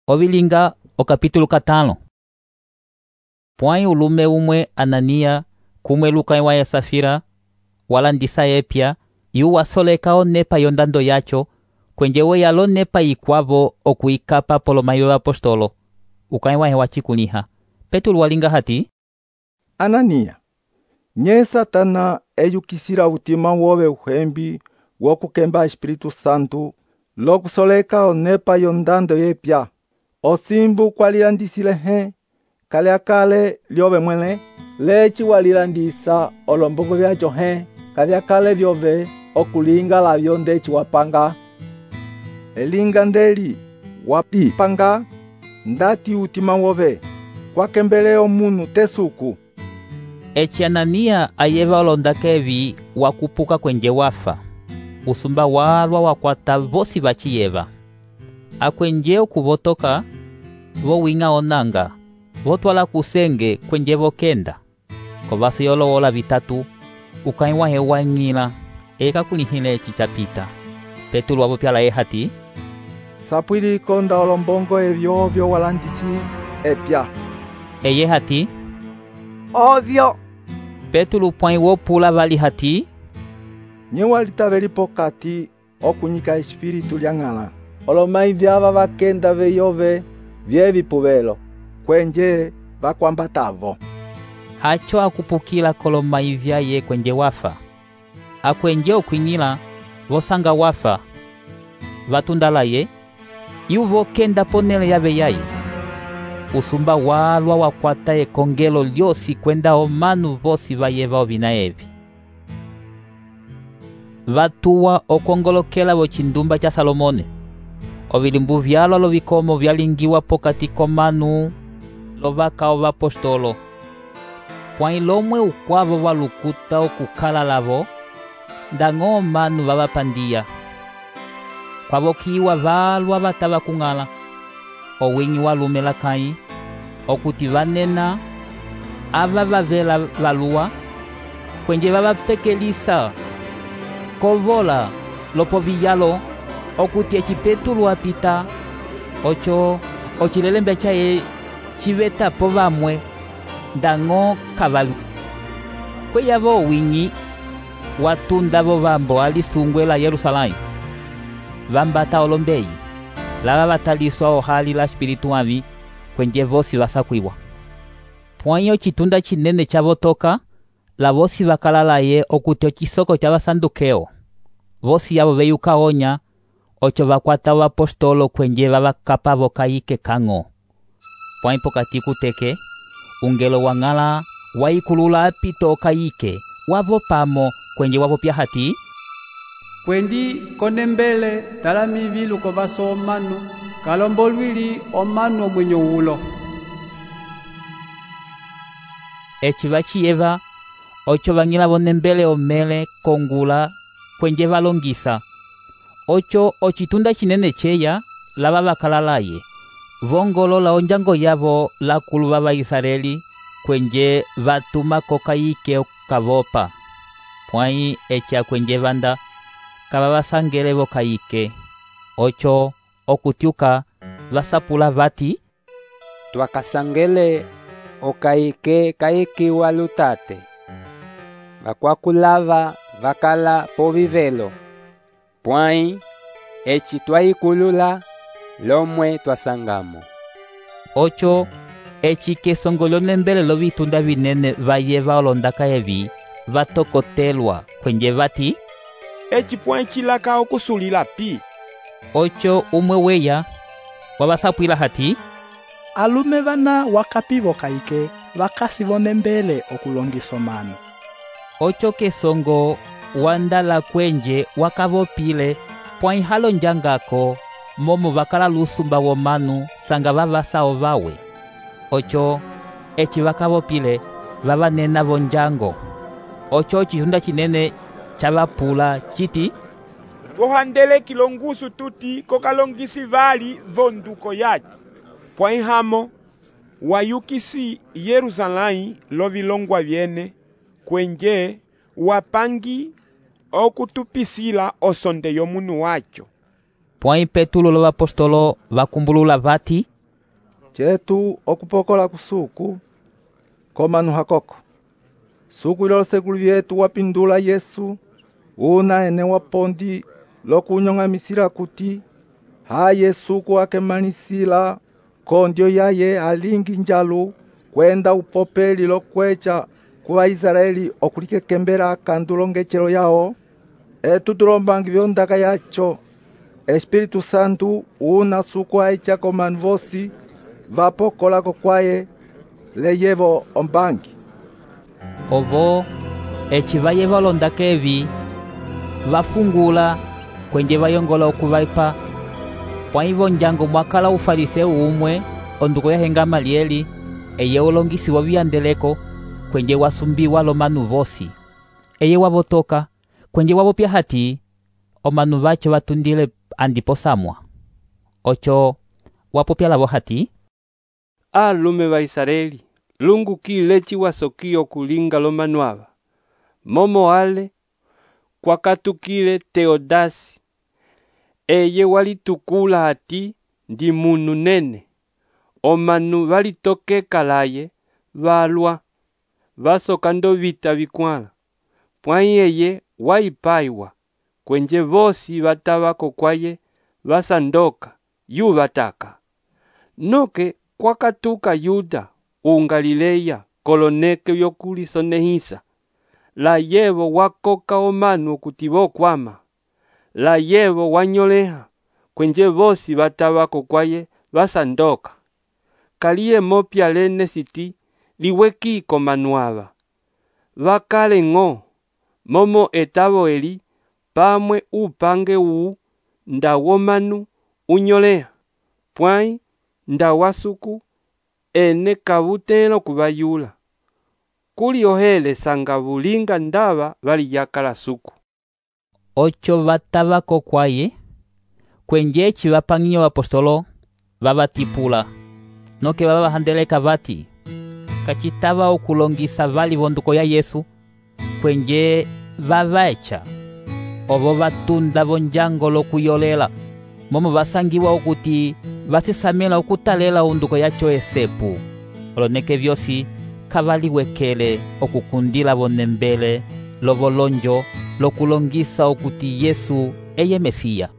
Ovilinga o capítulo 5. Pwãyi ulume umwe Anania kumwe Lucai wa Safira walandisa epya yu wasoleka onepa yondando yacho kwenje weya lonepa ikwavo okuikapa polomayi apostolo ukai wahe wachikuliha. Petulu walinga hati: Anania, nye Satana eyukisila utima wowe uhembi wokukemba Espiritu Santo lokusoleka onepa yondando yepya. Osimbu kwalilandisile he kalyakale lyove mwene lechi walilandisa olombongo vyacho he kalyakale vyove okulinga lavyo ndechi wapanga. Elinga ndeli wapipanga ndati utima wove kwakembele omunu tesuku. Echi Anania ayeva olondakevi wakupuka kwenje wafa. Usumba walwa wakwata vosi vachiyeva. Akwenje okuvotoka vowinga onanga votwala kusenge kwenje vokenda kovasi yolowola vitatu ukai wahe wang'ila eka kulihile echi chapita. Petulu wavopyala hati: Sapwili konda olombongo evyovyo walandisi epya. Eye hati: Ovyo. Petulu pwãyi wopula vali hati: Nye walitaveli pokati okunyika espiritu lyang'ala. Olomayi vyava vakenda veyove vyevipuvelo kwenje vakwambatavo. Hacho akupukila kolomayi vyaye kwenje wafa. Akwenje okwing'ila vosanga wafa vatundalaye yuvo kenda ponele yave yaye. Usumba walwa wakwata ekongelo lyosi kwenda omanu vosi vayeva ovina evi. Vatuwa okongolokela vochindumba cha Salomone. Ovilimbu vyalwa lovikomo vyalingiwa pokati komanu lovaka ovapostolo. Pwãyi lomwe ukwavo valukuta okukala lavo ndang'o omanu vavapandiya. Kwavokiwa valwa vatava kung'ala owinyi walume lakai okuti vanena ava vavela valuwa kwenje vavapekelisa kovola lopo viyalo okuti eci Petulu apita ocho ocilelembe chaye chivetapo vamwe ndang'o kavalu. Kweyavo owinyi watunda vovambo alisungwe la Yerusalai vambata olombeyi lava vataliswa ohali la espiritu avi kwenje vosi vasakwiwa. Pwãyi ocitunda cinene chavotoka la vosi vakalalaye okuti ocisoko cha vasandukeo vosi yavo veyuka onya ocho vakwata vapostolo kwenje vavakapa vokayike kang'o. Pwãyi pokati kuteke ungelo wang'ala waikulula apito okayike wavo pamo kwenje wavopya hati: Kwendi konembele talami viluko vaso omanu kalombolwili omanu omwenyo ulo. Eci vachiyeva ocho vang'ila vonembele omele kongula kwenje valongisa. Ocho ocitunda cinene cheya lava vakalalaye vongolola onjango yavo lakulu vava Israeli kwenje vatuma kokayike okavopa. Pwãyi eci akwenje vanda kava vasangele vokayike ocho okutyuka vasapula vati: Twakasangele okayike kayikiwa lutate vakwakulava vakala povivelo. Pwãyi eci twayikulula lomwe twasangamo. Ocho eci kesongo lyonembele lovitunda vinene vayeva olondaka evi vatokotelwa kwenje vati: Eci pwãyi cilaka okusulila pi. Ocho umwe weya wavasapwila hati: Alume vana wakapi vokayike vakasi vonembele okulongisa omanu. Ocho kesongo wandala kwenje wakavopile pwãyi halonjangako momo vakala lusumba womanu sanga vavasao vawe. Ocho eci vakavopile vavanena vonjango. Ocho ocitunda cinene chavapula citi: Vohandele kilongusu tuti kokalongisi vali vonduko yaci. Pwãyi hamo wayukisi Yerusalai lovilongwa vyene kwenje wapangi okutupisila osonde yomunu wacho. Pwãyi Petulu lovapostolo vakumbulula vati: cetu okupokola kusuku komanu hakoko. Suku ilose kuli vyetu wapindula Yesu una ene wapondi lokunyong'amisila kuti haye suku akemanisila kondio yaye alingi njalu kwenda upopeli lokwecha kuwa Israeli okulikekembela kandulo ngechelo yao. Etu tulombangi vyondaka yacho Espiritu Santu una suku aicha komanu vosi vapokolako kwaye leyevo ombangi. Ovo eci vaye valondaka evi vafungula kwenje vayongola okuvaipa. Pwaivo njango mwakala ufariseu umwe onduko ya Gamalieli eye ulongisi waviyandeleko kwenje wasumbiwa lomanu vosi. Eye wavotoka kwenje wavopya hati omanu vacho vatundile andipo samwa. Ocho wapopya lavo hati, alume va Israeli, lungu kilechi wasokio kulinga lomanu ava. Momo ale kwakatukile Teodasi eye walitukula hati ndi munu nene. Omanu valitokeka laye valwa vasokando vita vikwala. Pwai eye waipaiwa kwenje vosi vatavako kwaye vasandoka yu vataka. Noke kwakatuka Yuda ungalileya koloneke yokulisonehisa. La yevo wakoka omanu okuti vokwama. La yevo wanyoleha kwenje vosi vatavako kwaye vasandoka. Kaliye mopya lene siti liwekiko manuava. Vakale ng'o momo etavo eli pamwe upange uu nda womanu unyoleha. Pwai nda wasuku ene kavutelo kuvayula. Kuli ohele sanga vulinga ndava vali yakala suku. Ocho vatavako kwaye kwenje eci vapangiyo apostolo vavatipula. Noke vavahandeleka vati kacitava okulongisa vali vonduko ya Yesu kwenje vavaecha. Ovo vatunda vonjango lokuyolela momo vasangiwa okuti vasisamela okutalela onduko yacho esepu. Oloneke vyosi kavaliwekele okukundila vonembele lovolonjo lokulongisa okuti Yesu eye Mesiya.